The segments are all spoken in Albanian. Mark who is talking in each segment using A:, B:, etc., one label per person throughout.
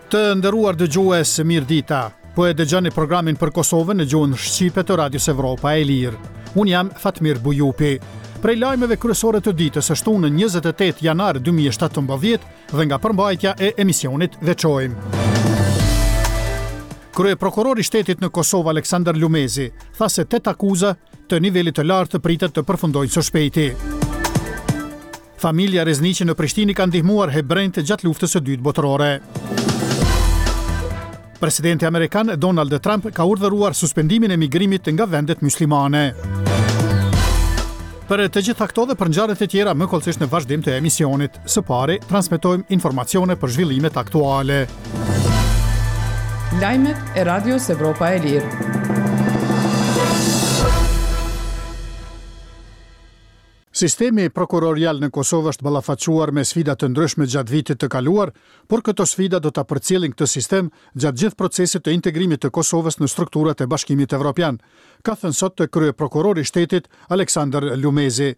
A: Të nderuar dëgjues, mirëdita. Po e dëgjoni programin për Kosovën në gjuhën shqipe të Radios Evropa e Lirë. Unë jam Fatmir Bujupi. Prej lajmeve kryesore të ditës së shtunë 28 janar 2017 dhe nga përmbajtja e emisionit veçojmë. Kryeprokurori i shtetit në Kosovë Aleksandar Lumezi tha se tetë akuza të nivelit të lartë pritet të përfundojnë së shpejti. Familja Rezniqi në Prishtinë i ka ndihmuar hebrenjtë gjatë luftës së dytë botërore. Presidenti amerikan Donald Trump ka urdhëruar suspendimin e migrimit nga vendet myslimane. Për të gjitha këto dhe për ngjarjet e tjera më hollësisht në vazhdim të emisionit. Së pari, transmetojmë informacione për zhvillimet aktuale.
B: Lajmet e Radios Evropa e Lirë.
A: Sistemi prokurorial në Kosovë është ballafaquar me sfida të ndryshme gjatë vitit të kaluar, por këto sfida do ta përcjellin këtë sistem gjatë gjithë procesit të integrimit të Kosovës në strukturat e Bashkimit Evropian, ka thënë sot kryeprokurori i shtetit, Aleksandër Lumezi.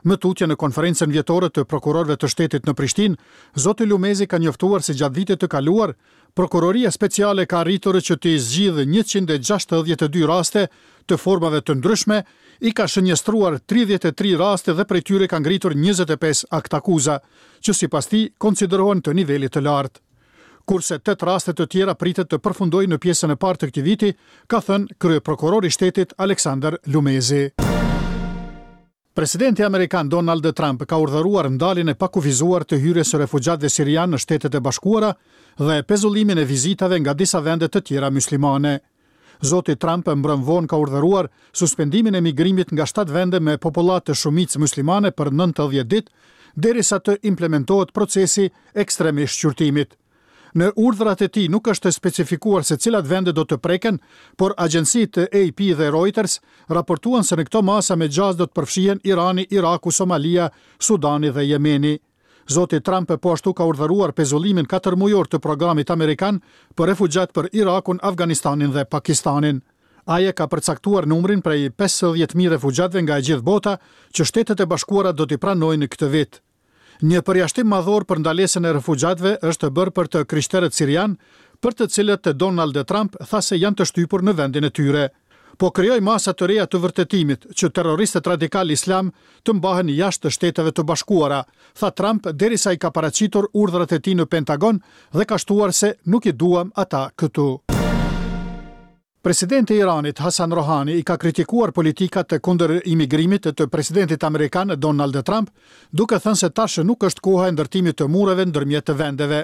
A: Më tutje në konferencën vjetore të prokurorëve të shtetit në Prishtinë, zoti Lumezi ka njoftuar se gjatë vitit të kaluar, Prokuroria Speciale ka arritur që t'i zgjidhë 162 raste të formave të ndryshme, i ka shënjestruar 33 raste dhe prej tyre ka ngritur 25 aktakuza, që sipas tij konsiderohen të nivelit të lartë. Kurse tetë raste të tjera pritet të përfundojnë në pjesën e parë të këtij viti, ka thënë kryeprokurori i shtetit Aleksandër Lumezi. Presidenti amerikan Donald Trump ka urdhëruar ndaljen e pakufizuar të hyrjes së refugjatëve sirianë në Shtetet e Bashkuara dhe pezullimin e vizitave nga disa vende të tjera myslimane. Zoti Trump mbrëmë vonë ka urdhëruar suspendimin e migrimit nga shtatë vende me popullatë shumicë myslimane për 90 ditë, derisa të implementohet procesi ekstrem i shqyrtimit. Në urdhrat e tij nuk është specifikuar se cilat vende do të preken, por agjencitë AP dhe Reuters raportuan se në këto masa me gjasë do të përfshihen Irani, Iraku, Somalia, Sudani dhe Jemeni. Zoti Trump po ashtu ka urdhëruar pezullimin katërmujor të programit amerikan për refugjatë për Irakun, Afganistanin dhe Pakistanin. Ai e ka përcaktuar numrin prej 50.000 refugjatëve nga e gjithë bota që Shtetet e Bashkuara do t'i pranojnë këtë vit. Një përjashtim madhor për ndalesën e refugjatëve është bërë për të krishterët sirianë, për të cilët Donald Trump tha se janë të shtypur në vendin e tyre. Po krijoj masa të reja të vërtetimit që terroristët radikalë islamë të mbahen jashtë Shteteve të Bashkuara, tha Trump derisa i ka paraqitur urdhrat e tij në Pentagon dhe ka shtuar se nuk i duam ata këtu. Presidenti i Iranit, Hassan Rohani, i ka kritikuar politikat kundër imigrimit të presidentit amerikan Donald Trump, duke thënë se tash nuk është koha e ndërtimit të mureve ndërmjet vendeve.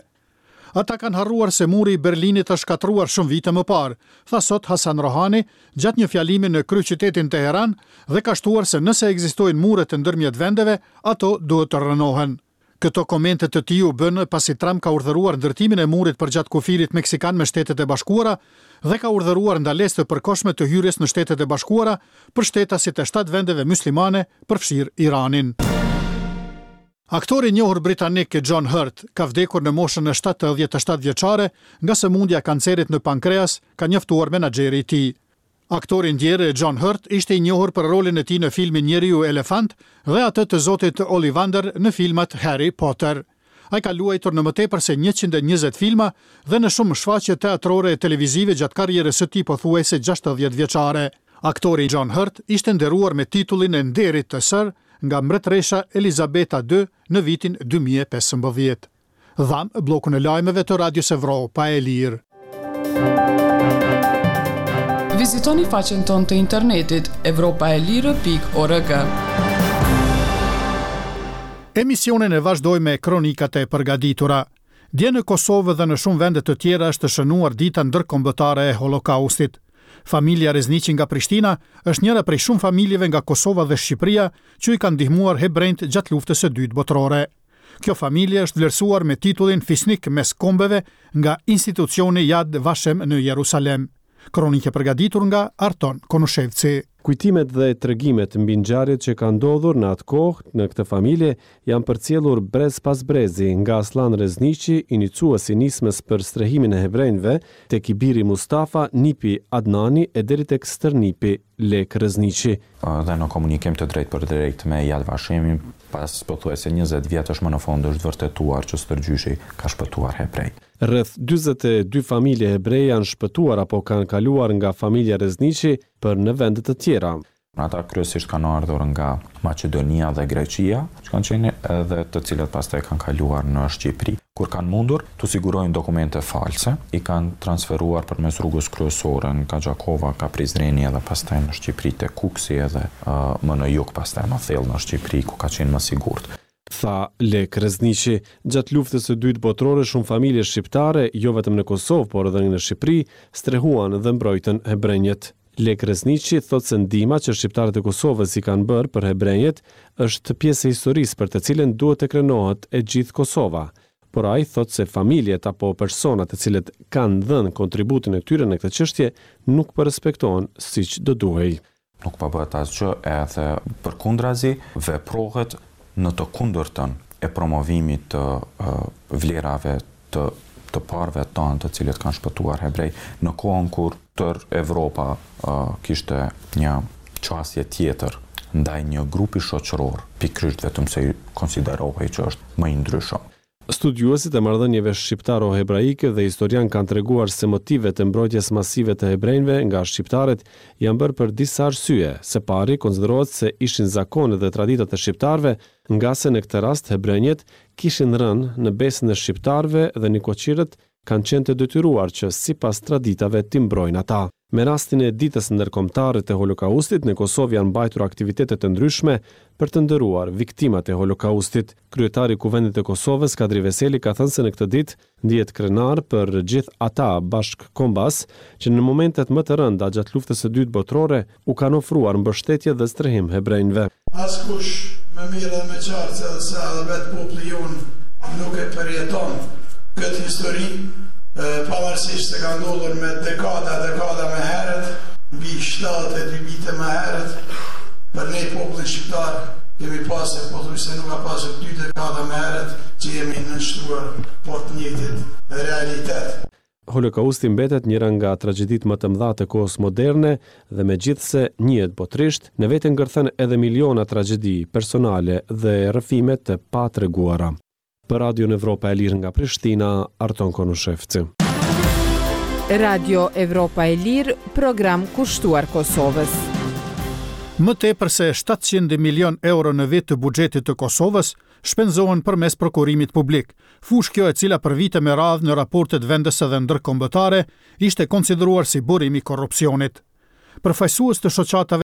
A: Ata kanë harruar se muri i Berlinit është shkatërruar shumë vite më parë, tha sot Hassan Rohani gjatë një fjalimi në kryeqytetin Teheran dhe ka shtuar se nëse ekzistojnë muret ndërmjet vendeve, ato duhet të rrënohen. Këto komente të tij u bënë pasi Trump ka urdhëruar ndërtimin e murit përgjatë kufirit meksikan me Shtetet e Bashkuara dhe ka urdhëruar ndalesë të përkohshme të hyrjes në Shtetet e Bashkuara për shtetasit e shtatë vendeve myslimane, përfshirë Iranin. Aktori i njohur britanik John Hurt ka vdekur në moshën 77 vjeçare nga sëmundja e kancerit në pankreas, ka njoftuar menaxheri i tij. Aktori i ndjerë John Hurt ishte i njohur për rolin e tij në filmin Njeriu Elefant dhe atë të zotit Ollivander në filmat Harry Potter. Ai ka luajtur në më tepër se 120 filma dhe në shumë shfaqje teatrore e televizive gjatë karrierës së tij pothuajse 60 vjeçare. Aktori John Hurt ishte nderuar me titullin e nderit të Sir nga mbretëresha Elizabeta II në vitin 2015. Dhamë bllokun e lajmeve të Radios Evropa e Lirë.
B: Vizitoni faqen tonë të internetit evropaelire.org.
A: Emisionin e vazhdojmë me kronikat e përgatitura. Dje në Kosovë dhe në shumë vende të tjera është shënuar dita ndërkombëtare e Holokaustit. Familja Rezniqi nga Prishtina është njëra prej shumë familjeve nga Kosova dhe Shqipëria që i kanë ndihmuar hebrenjtë gjatë luftës së dytë botërore. Kjo familje është vlerësuar me titullin Fisnik mes kombeve nga institucioni Yad Vashem në Jerusalem. Kronikë e përgatitur nga Arton Konushevci.
C: Kujtimet dhe tregimet mbi ngjarjet që kanë ndodhur në atë kohë në këtë familje janë përcjellur brez pas brezi, nga Asllan Rezniqi, inicues i nismës për strehimin e hebrenjve, tek i biri Mustafa, nipi Adnani e deri tek stërnipi Lekë Rezniqi.
D: Dhe në komunikim të drejtpërdrejtë me Yad Vashemin, pas pothuajse 20 vjetësh më në fund është vërtetuar që stërgjyshi ka shpëtuar hebrej.
C: Rreth 42 familje hebreje janë shpëtuar apo kanë kaluar nga familja Rezniqi për në vende të tjera.
D: Ata kryesisht kanë ardhur nga Maqedonia dhe Greqia, që kanë qenë edhe të cilët pastaj kanë kaluar në Shqipëri. Kur kanë mundur t'u sigurojnë dokumente false, i kanë transferuar përmes rrugës kryesore nga Gjakova, nga Prizreni edhe pastaj në Shqipëri te Kukësi edhe më në jug pastaj më thellë në Shqipëri ku ka qenë më sigurt.
C: Tha Lekë Rezniqi. Gjatë Luftës së Dytë Botërore shumë familje shqiptare, jo vetëm në Kosovë, por edhe në Shqipëri, strehuan dhe mbrojtën hebrenjët. Lekë Rezniqi thotë se ndihma që shqiptarët e Kosovës i kanë bërë për hebrenjët është pjesë e historisë për të cilën duhet të krenohet e gjithë Kosova. Por ai thotë se familjet apo personat të cilët kanë dhënë kontributin e tyre në këtë çështje nuk po respektohen siç do duhej.
D: Nuk po bëhet asgjë edhe përkundrazi veprohet në të kundërtën e promovimit të vlerave të të parëve tanë të cilët kanë shpëtuar hebrej në kohën kur tërë Evropa kishte një qasje tjetër ndaj një grupi shoqëror, pikërisht vetëm se konsiderohej që është më i ndryshëm.
C: Studiuesit e marrëdhënieve shqiptaro-hebraike dhe historianë kanë treguar se motivet e mbrojtjes masive të hebrenjve nga shqiptarët janë bërë për disa arsye. Së pari, konsiderohet se ishin zakonet dhe traditat e shqiptarëve, ngase në këtë rast hebrenjët kishin rënë në besën e shqiptarëve dhe nikoqirët kanë qenë të detyruar që sipas traditave t'i mbrojnë ata. Me rastin e Ditës Ndërkombëtare të Holokaustit, në Kosovë janë mbajtur aktivitete të ndryshme për të nderuar viktimat e Holokaustit. Kryetari i Kuvendit të Kosovës, Kadri Veseli ka thënë se në këtë ditë ndihet krenar për gjithë ata bashkëkombas që në momentet më të rënda gjatë Luftës së Dytë Botërore u kanë ofruar mbështetje dhe strehim hebrenjve.
E: Askush më mirë dhe më qartë se edhe se edhe vetë populli jonë nuk e përjeton këtë histori, pavarësisht se ka ndodhur me dekada e dekada më herët, mbi 72 vite më herët, për ne popullin shqiptar kemi pasur pothuajse nuk ka pasur dy dekada më herët që jemi nënshtruar po të njëjtit realitet.
C: Holokausti mbetet njëra nga tragjeditë më të mëdha të kohës moderne dhe megjithëse njihet botërisht, në vete ngërthen edhe miliona tragjedi personale dhe rrëfime të patreguara. Për Radion Evropa e Lirë nga Prishtina, Arton Konushevci.
B: Radio Evropa e Lirë, program kushtuar Kosovës.
A: Më tepër se 700 milion euro në vit të buxhetit të Kosovës shpenzohen përmes prokurimit publik, fushë kjo e cila për vite me radhë në raportet vendëse dhe ndërkombëtare ishte konsideruar si burim i korrupsionit. Përfaqësues të shoqatave.